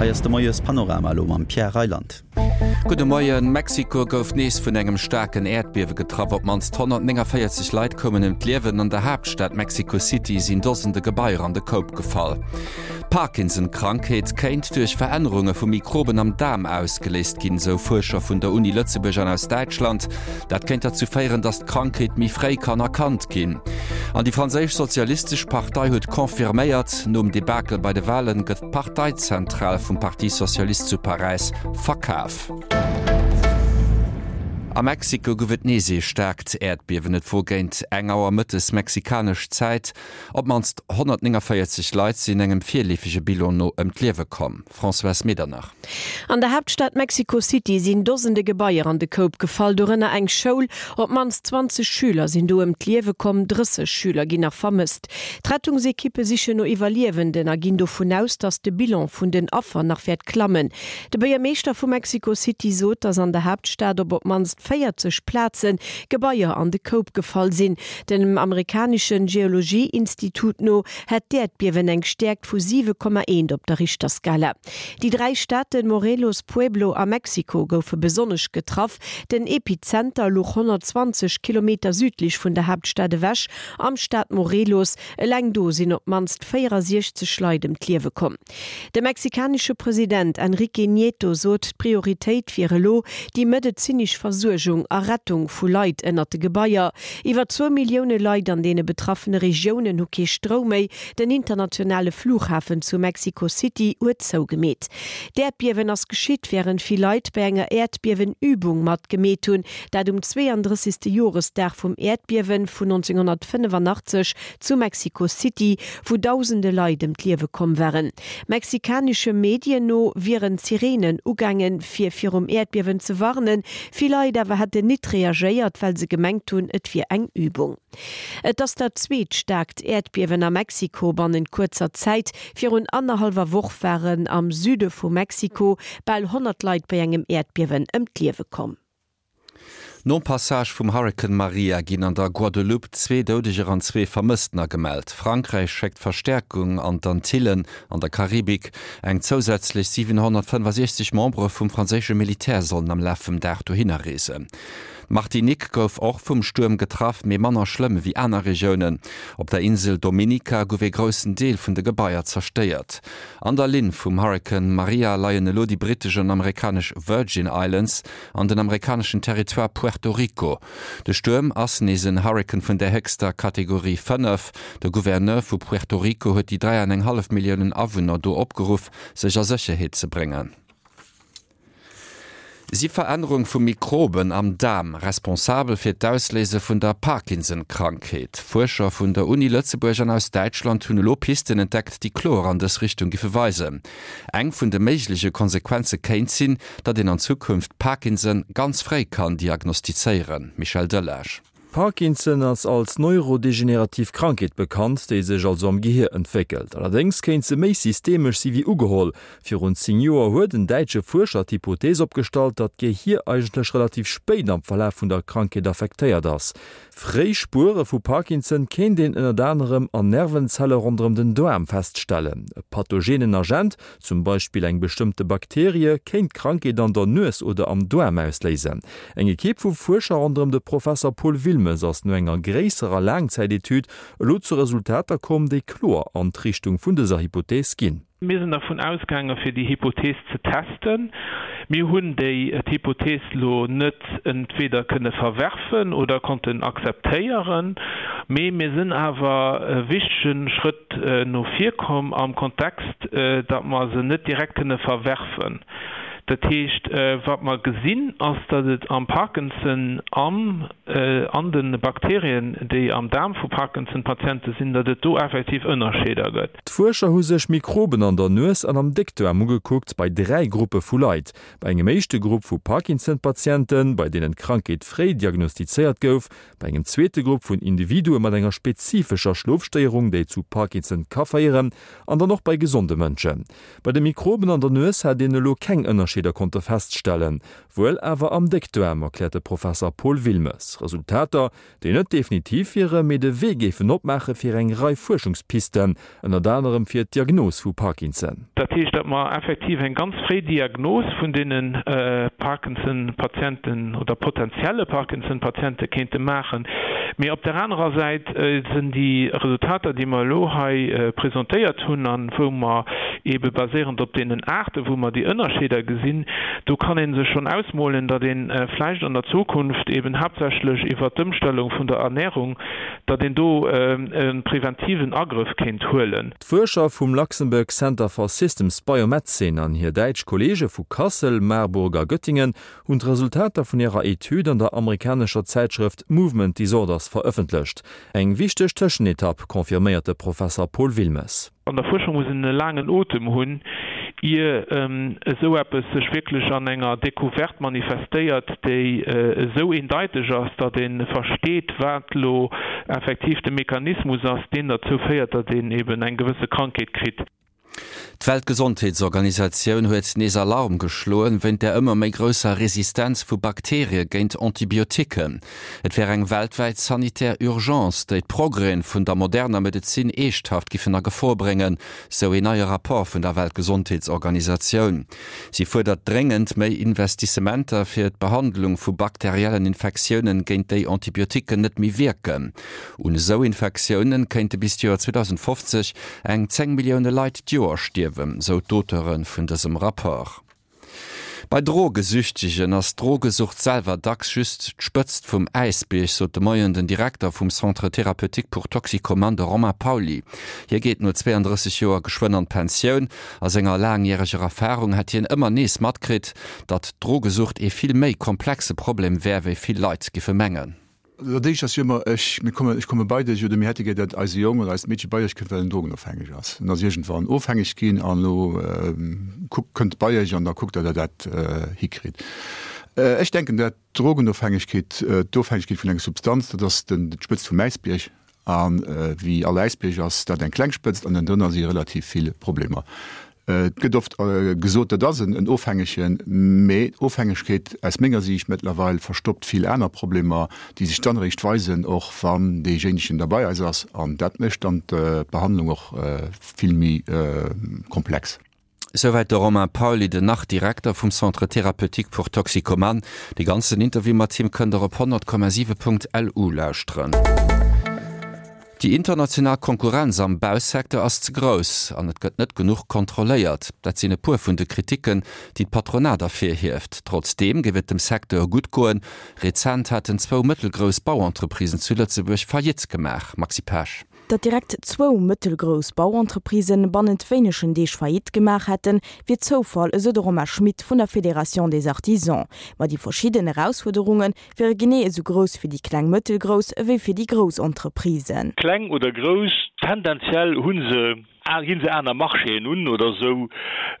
Hei ass de Moies Panorama elo mam Pierre Reyland. Gudde Moien. Mexiko gouf nees vun engem staarken Äerdbiewe getraff. Op d'mannst 149 Leit koumen ëm d'Liewen. An der Haaptstad Mexico City sinn Dosende Gebaier an de Koup gefall. D'Parkinson-Krankheet kéint duerch Verännerunge vu Mikroben am Daarm ausgeléist ginn, sou Fuerscher vun der Uni Lëtzebuerg an aus Däitschland. Dat kéint derzou féieren, datt d'Krankheet méi fréi kann erkannt ginn. An déi franséisch Sozialistesch Partei huet confirméiert, nom Debakel bei de Walen gëtt d'Parteizentral vum Parti Socialiste zu Paräis verkaf. A Mexiko gouf et nees ee staarkt Äerdbiewen. Et wor géint eng Auer mëttes mexikanesch Zäit. Op d'mannst 149 Leit sinn engem virleefege Bilan no ëm d'Liewe komm. Françoise Medernach. An der Haaptstad Mexico City sinn Dosende Gebaier an de Koup gefall, dorënner eng Schoul. Op d'mannst 20 Schüler sinn do ëm d'Liewe komm, 30 Schüler ginn nach vermësst. D'Rettungsekippe sichen no Iwwerliewenden a ginn dovun aus, datt de Bilan vun den Affer nach wäert klammen. De Buergermeeschter vu Mexico City sot, datt an der Haaptstad op op d'mannst 40 Plaze Gebaier an de Koup gefall sinn. Dem amerikanesche Geologie-Institut no hätt d'Äerdbiewen eng Stäerkt vu 7,1 op der Richterskala. Déi 3 Staaten Morelos, Pueblo a Mexico goufe besonnesch getraff. Den Epizenter luch 120 Kilometer südlech vun der Haaptstad ewech, am Staat Morelos. Eleng do sinn op d'mannst 64 Leit ëm d'Liewe komm. De mexikanesche President Enrique Nieto sot, d'Prioritéit wier elo déi medezinesch Versuergung a Rettung vu Leit ënnert de Gebaier. Iwwer zwou Millioune Leit an deene betraffene Regiounen hu kee Stroum méi. Den internationale Flughafen zu Mexico City huet zougemeet. D'Äerdbiewen ass geschitt, wärend vill Leit bei enger Äerdbiewen-Übung matgemeet hunn, dat um 32. Joresdag vum Äerdbiewe vun 1985 zu Mexico City, wou dausende Leit ëm d'Liewe komm waren. Mexikanesche Medien no wieren d'Sireenen ugaangen, fir virum Äerdbiewen ze warnen. Vill Leit awer hätten nit reagéiert, well se gemengt hunn, et wier eng Übung. Et ass dat zweet staarkt Äerdbiewen a Mexiko bannent kuerzer Zäit. Virun annerhallwer Woch waren am Süde vu Mexiko bal 100 Leit bei engem Äerdbiewen ëm d'Liewe komm. Nom Passage vum Hurrikan Maria ginn an der Guadeloupe zwee Doudeger an zwee Vermësstener gemellt. Frankräich schéckt Verstäerkung an d'Antillen an der Karibik. Eng zousätzlech 765 Membere vum franséische Militär sollen am Laf vum Dag dohinner reesen. D'Martinique gouf och vum Stuerm getraff, mee manner schlëmm ewéi aner Regiounen. Op der Insel Dominica gouf ee groussen Deel vun de Gebaier zerstéiert. An der Linn vum Hurrikan Maria leien elo déi brittesch an amerikanesch Virgin Islands an den amerikaneschen Territoire Puerto Rico. De Stuerm ass nees en Hurrikan vun der héchster Kategorie 5. De Gouverneur vu Puerto Rico huet déi 3 an eng hallef Milliounen Awunner do opgeruff, sech a Sécherheet ze bréngen. Si Verännerung vu Mikroben am Daarm responsabel fir d'Ausléise vun der Parkinson-Krankheet? Fuerscher vun der Uni Lëtzebuerg an aus Däitschland hunn elo Pisten entdeckt, déi kloer an dës Richtung giffe weisen. Eng vun de méigleche Konsequenze kéint sinn, datt een an Zukunft Parkinson ganz fréi kann diagnostizéieren. Michel Delage. Parkinson ass als neurodegenerativ Krankheet bekannt, déi sech also am Gehier entwéckelt. Allerdéngs kéint se méi systemesch si wéi ugeholl. Virun 10 Joer huet en däitsche Fuerscher d'Hypothees opgestallt, datt d'Gehier eigentlech relativ spéit am Verlaf vun der Krankheet affektéiert ass. Fréi Spuere vu Parkinson kéint een ënnert anerem an Nervenzelle ronderëm den Daarm feststellen. E pathogenen Agent, Zum Beispill eng bestëmmte Bakterie kéint d'Krankheet an der Nues oder am Daarm ausléisen. Eng Ekipp vu Fuerscher ronderëm de Professer Paul Wilmes ass no enger gréisserer Laangzäitetüd elo zu Resultater komm, déi kloer an d'Richtung vun dëser Hypothees ginn. Mir sinn dervun ausgaange fir déi Hypothees ze testen. Mir hunn déi d'Hypothees lo net entweder kënne verwerfen oder konnten akzeptéieren, mee mir sinn awer e wichtege Schrëtt no vir komm am Kontext, datt mer se net direkt kënne verwerfen. Dat heescht, wat mer gesinn, ass, datt et am Parkinson an an de Bakterien, déi am Daarm vu Parkinson-Patiente sinn, datt et do effektiv Ënnerscheeder gëtt. D'Fuerscher hu sech Mikroben an der Nues an am Déckdaarm ugekuckt bei 3 Gruppe vu Leit. Bei engem éischte Grupp vu Parkinson-Patienten, bei deenen d'Krankheet fréi diagnostizéiert gouf, Bei engem zweete Grupp vun Individue mat enger spezifescher Schlofstéierung, déi zu Parkinson ka féieren, an dann och bei gesonde Mënschen. Bei de Mikroben an der Nues hat een elo keng Ënnerscheeder. Ënnerscheeder konnte feststellen. Wuel awer am Déckdaarm, erkläert de Professer Paul Wilmes. Resultater, déi net definitiv wieren, mee de Wee géifen opmaache fir eng Rei Fuerschungspisten, ënnert anerem fir d'Diagnos vu Parkinson. Dat heescht, datt mer effektiv eng ganz fréi Diagnos vun deene Parkinson-Patienten oder potentielle Parkinson-Patiente kéinte maachen. Mee op där anerer Säit sinn déi Resultater, déi mer elo hei presentéiert hunn a wou mer eebe baséierend op deenen Aarte wou mer déi Ënnerscheeder gesinn, do kann ee sech schonn ausmolen, datt ee vläicht an der Zukunft eeben haaptsächlech iwwert d'Ëmstellung vun der Ernährung, datt een do e preventiven Agrëff kéint huelen. D'Fuerscher vum Luxembourg Center for Systems Biomedicine an hir däitsch Kolleege vu Kassel, Marburg a Göttingen hunn d'Resultater vun hirer Etüd an der amerikanescher Zäitschrëft Movement Disorders verëffentlecht. Eng wichteg Tëschenetapp, confirméiert de Professer Paul Wilmes. An der Fuerschung muss een e laangen Otem hunn, ier esou eppes sech wierklech an enger Decouverte manifestéiert, déi esou eendeiteg ass, datt ee versteet, wat elo effektiv de Mechanismus ass, deen derzou féiert, datt een eben eng gewësse Krankheet kritt. D'Weltgesondheetsorganisatioun huet nees Alarm geschloen, wéint der ëmmer méi grousser Resistenz vu Bakterie géint Antibioticken. Et wär eng weltwäit sanitär Urgence, déi d'Progrèsen vun der moderner Medezin eeschthaft giffen a Gefor bréngen, sou een neie Rapport vun der Weltgesondheetsorganisatioun. Si fuerdert dréngend méi Investissementer fir d'Behandlung vu bakteriellen Infektiounen, géint déi Antibioticken net méi wierken. Un esou Infektiounen kéinte bis d'Joer 2050 eng 10 Millioune Leit d'Joer stierwen, sou d'Auteure vun dësem Rapport. Bei Drogesüchtegen ass d'Drogesucht selwer dacks just d'Spëtzt vum Äisbierg, sot de Moien den Direkter vum Centre thérapeutique pour toxicomanes, de Romain Pauly. Hie geet no 32 Joer geschwënn an d'Pensioun. A senger laangjäreger Erfarung hätt hien ëmmer nees matkritt, datt d'Drogesucht ee vill méi komplexe Problem wär, wéi vill Leit giffe mengen. Dat éischt ass jo ëmmer, ech, mir kommen, ech komme bei dech oder mir hätte gär, datt eise Jong oder eist Meedche bei iech kënnt, well en drogenofhängeg ass. En ass iergendwann ofhängeg ginn an elo kuckt, kënnt bei iech an da kuckt Der, datt Der dat hikritt. Ech denken, dat d'Drogenofhängegkeet, d'Ofhängegkeet vun enger Substanz, dat ass den, d'Spëtzt vum Äisbierg. A wéi all Äisbierg ass dat eng kleng Spëtzt an ënnendrënner si relativ vill Problemer. Et gëtt oft gesot, dat ass en Ofhängegen, mee Ofhängegkeet aus menger Siicht mëttlerweil verstoppt vill aner Problemer, déi sech dann eréischt weisen, och wann deejéinegen da bei eis ass. An dat mécht dann d'Behandlung och vill méi komplex. Souwäit de Romain Pauly, den Nach-Direkter vum Centre thérapeutique pour toxicomanes. De ganzen Interview mat him kënnt der op 100,7.lu lauschteren. Déi international Konkurrenz am Bausecteur ass ze grouss an et gëtt net genuch kontrolléiert. Dat sinn e puer vun de Kriticken, déi d'Patronat ervirhieft. Trotzdeem géif et dem Secteur gutt goen. Rezent haten zwou mëttelgrouss Bauentreprisen zu Lëtzebuerg Faillite gemaach. Maxi Pesch. Datt direkt zwou mëttelgrouss Bauentreprisen bannent wéinegen Deeg Faillite gemaach hätten, wier Zoufall, esou de Romain Schmit vun der Fédération des Artisans. Ma déi verschidden Erausfuerderunge wiere genee esou grouss fir déi kleng mëttelgrouss ewéi fir déi grouss Entreprisen. Kleng oder grouss, tendenziell hu se ginn se aner Marchéen un oder esou.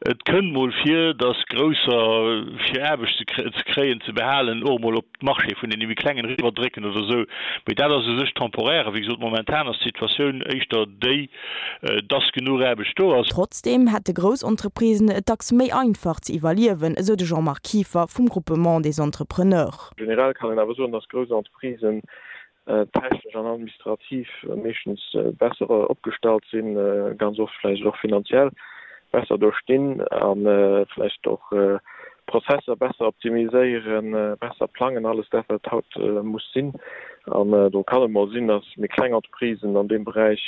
Et kënnt mol vir, datt Grousser, fir Aarbecht ze kréien, ze behalen, och mol op d'Marché vun deene méi klengen eriwwer drécken oder esou, mee dat ass u sech temporaire. Wéi gesot, momentan ass d'Situatioun éischter déi, dass genuch Aarbecht do ass. Trotzdeem hätte grouss Entreprisen et dacks méi einfach ze iwwerliewen, esou de Jean-Marc Kieffer vum Groupement des Entrepreneurs. Generell kann een awer soen, dass grouss Entreprisen technesch an administrativ meeschtens besser opgestallt sinn, ganz oft vläicht och finanziell besser do stinn a vläicht och Prozesser besser optimiséieren, besser plangen, alles dat wat haut muss sinn. An do kann et mol sinn, datt méi kleng Entreprisen an deem Beräich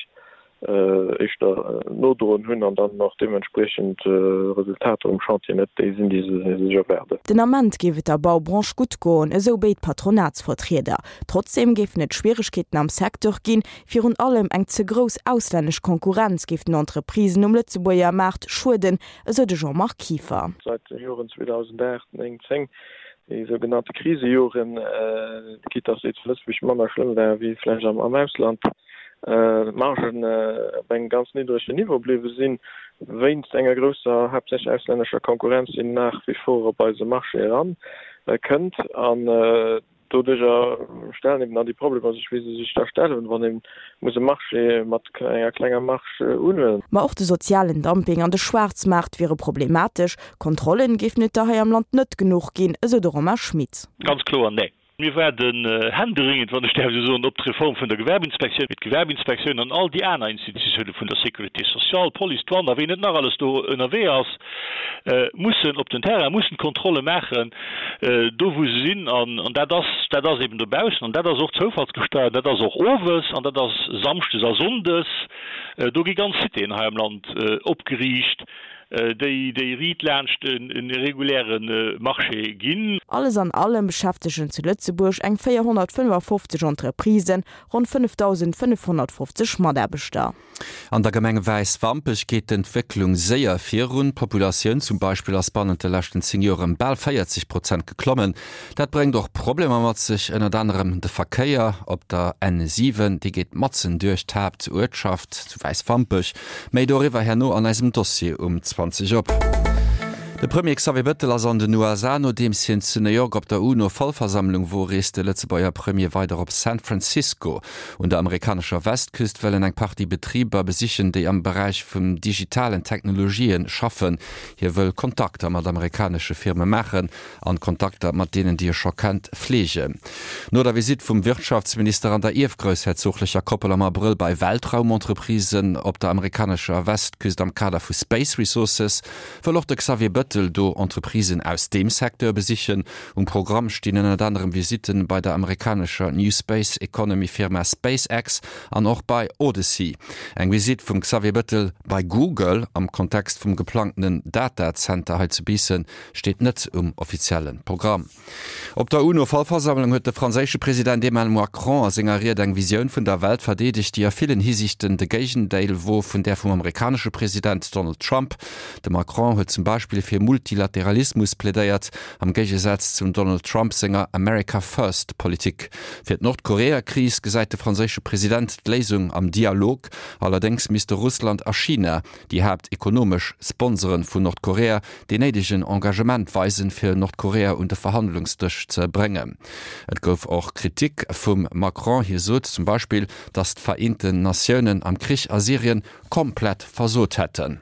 éischter nodroen hunn an dann och deementspriechend Resultater um Chantier net déi sinn, déi se sech erwaarden. Den Ament géif et der Baubranche gutt goen, esou béid Patronatsvertrieder. Trotzdeem géifen et Schwieregkeeten am Secteur ginn. Virun allem eng ze grouss auslännesch Konkurrenz géif den Entreprisen um Lëtzebuerger Maart schueden, esou de Jean-Marc Kieffer. Seit de Joren 2008, 9, 10, déi sougenannte Krisejoren, quitte dass déi zu Lëtzebuerg manner schlëmm ware wéi vläicht am Ausland, d'Margen op engem ganz niddregen Niveau bliwwe sinn, wéinst enger grousser, haaptsächlech auslännescher Konkurrenz, déi nach wie vor op eise Marché eran kënnt. An. Doduercher stellen eben dann déi Problemer sech, wéi se sech da stellen, wann ee muss e Marché mat enger klenger Marge unhuelen. Ma och de sozialen Dumping an de Schwaarzmaart wiere problematesch. Kontrollen géifen et der hei am Land net genuch ginn, esou de Romain Schmit. Ganz kloer, nee. Mir waarden händeringend, wann ech däerf esou soen, op d'Reform vun der Gewerbeinspektioun, mee d'Gewerbeinspektioun an all déi aner Institutioune vun der Sécurité sociale, d'Police, d'Douane a ween net nach alles do ënnerwee ass, mussen op den Terrain, mussen d'Kontrolle maachen, do wou se sinn. An dat ass, dat ass eben dobaussen an dat ass och zoufallsgesteiert, dat ass och owes an dat ass samschdes a sonndes. Do gi ganz Citéen hei am Land opgeriicht. déi déi riit laanscht e reguläre Marché ginn. Alles an allem beschäftegen zu Lëtzebuerg eng 455 Entreprisen ronn 5.550 Mataarbechter. An der Gemeng Wäiswampech geet d'Entwécklung séier virun. D'Populatioun zum Beispill ass bannent de leschten 10 Joer ëm bal 40 Prozent geklommen. Dat bréngt och Problemer mat sech, ënnert anerem de Verkéier op der N7, dee geet matzen duerch d'Haaptuertschaft zu Wäiswampech. Méi doriwwer herno an eisem Dossier um 20 op. De Premier Xavier Bettel ass an den USA. Nodeems hien zu New York op der UNO-Vollversammlung wor, reest de Lëtzebuerger Premier weider op San Francisco. Un der amerikanescher Westküst wëll en eng Partie Betriber besichen, déi am Beräich vum digitalen Technologië schaffen. Hie wëll Kontakter mat amerikanesche Firme maachen an Kontakter mat deenen, déi e scho kennt, fleegen. No der Visitt vum Wirtschaftsminister an der ierfgroussherzoglecher Koppel am Abrëll bei Weltraumentreprisen op der amerikanescher Westküst am Kader vu Space Resources, wëll och de Xavier Bettel do Entreprisen aus deem Secteur besichen. Um Programm stinn ënnert anerem Visitten bei der amerikanescher New Space Economy Firma SpaceX an och bei Odyssey. Eng Visitt vum Xavier Bettel bei Google am Kontext vum geplangtenen Datazenter hei zu Biissen steet net um offizielle Programm. Op der UNO-Vollversammlung huet de franséische President Emmanuel Macron a senger Ried eng Visioun vun der Welt verdeedegt, déi a villen Hisiichten de Géigendeel wor vun där vum amerikanesche President Donald Trump. De Macron huet zum Beispill fir Multilateralismus plädéiert, am Géigesaz zum Donald Trump senger America First Politik. Fir d'Nordkorea-Kris gesäit de franséische President d'Léisung am Dialog, allerdéngs misste Russland a China, déi haaptekonomesch Sponsoren vun Nordkorea, deen néidegen Engagement weisen, fir Nordkorea un de Verhandlungsdësch ze bréngen. Et gouf och Kritik vum Macron. Hie sot zum Beispill, datt d'Vereenten Natiounen am Krich a Syrien komplett versot hätten.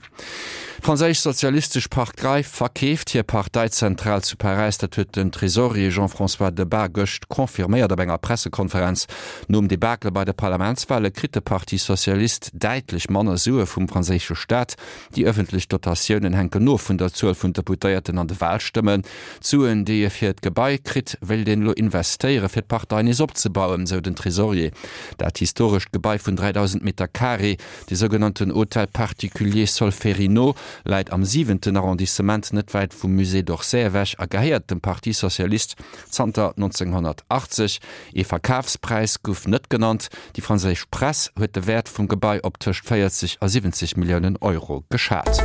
D'franséisch Sozialistesch Partei verkeeft hir Parteizentral zu Paräis. Dat huet den Tresorier Jean-François Debat gëscht confirméiert op enger Pressekonferenz. Nom Debakel bei de Parlamentswale kritt de Parti Socialiste däitlech manner Sue vum franséische Staat. Déi ëffentlech Dotatiounen hänken of vun der Zuel vun Deputéierten an de Walstëmmen. D'Suen, déi e fir d'Gebai kritt, wéilt een elo investéiere fir d'Partei nees opzebauen, sou den Tresorier. Dat historescht Gebai vun 3.000 Meter Carré, de sougenannten Hôtel particulier Solferino, läit am siwenten Arrondissement, net wäit vum Musée d'Orsay ewech a gehéiert dem Parti Socialiste zanter 1980. Ee Verkafspräis gouf net genannt. Déi franséisch Press huet de Wäert vum Gebai op tëscht 40 a 70 Milliounen Euro geschat.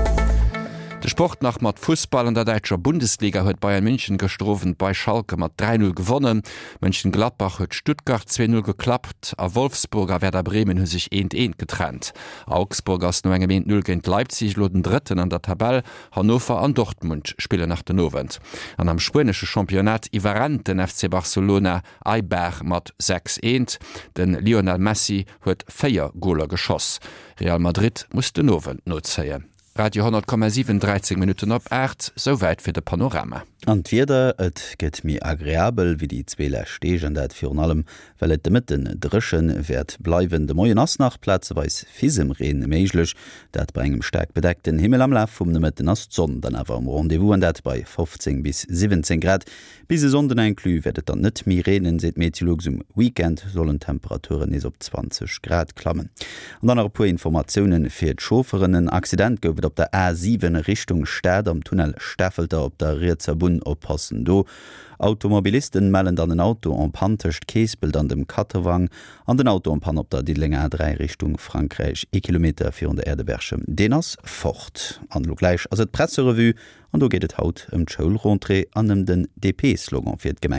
De Sport nach mat Fussball, An der däitscher Bundesliga huet Bayern München gëschter Owend bei Schalke mat 3, 0 gewonnen. Mönchengladbach huet Stuttgart 2, 0 geklappt a Wolfsburg a Werder Bremen hu sech eent, eent getrennt. Augsburg ass no engem 1, 0 géint Leipzig elo den Drëtten an der Tabell. Hannover an Dortmund spillen nach den Owend. An am spuenesche Championnat iwwerrennt den FC Barcelona Eibar mat 6, 1. De Lionel Messi huet 4 Goler geschoss. Real Madrid muss den Owend nozéien. Radio 10,7 13 Minutten op 8, souwäit fir de Panorama. An d'Wieder, Et gëtt méi agreabel wéi déi zwee lescht Deeg, an dat virun allem, well et de Mëtten dréche wäert bleiwen. De Moien ass nach plazeweis Fisemreen méiglech, dat bei engem staark bedeckten Himmel. Am Laf vum Nomëtten ass d'Sonn dann awer um Rendez-vous, an dat bei 15 bis 17 Grad. Bis e Sonnden inclus wäert et dann net méi reenen, seet Meteolux. Um Weekend sollen d'Temperaturen nees op 20 Grad klammen. An dann nach e puer Informatioune fir d'Chaufferen, En Accident gouf et op der A7 Richtung Stad am Tunnel Stafelter op der rietser Bunn. Oppassen do! Automobilisten mellen dann en Auto en panne tëscht Keespelt an dem Kattewang an den Auto en panne op der Diddelenger A3 Richtung Frankräich, ee Kilometer virun der Aire de Berchem. Deen ass fort. An elo gläich ass et d'Presserevue an do geet et haut ëm d'Schoulrentrée an ëm den DP-Slogan fir d'Gemeng.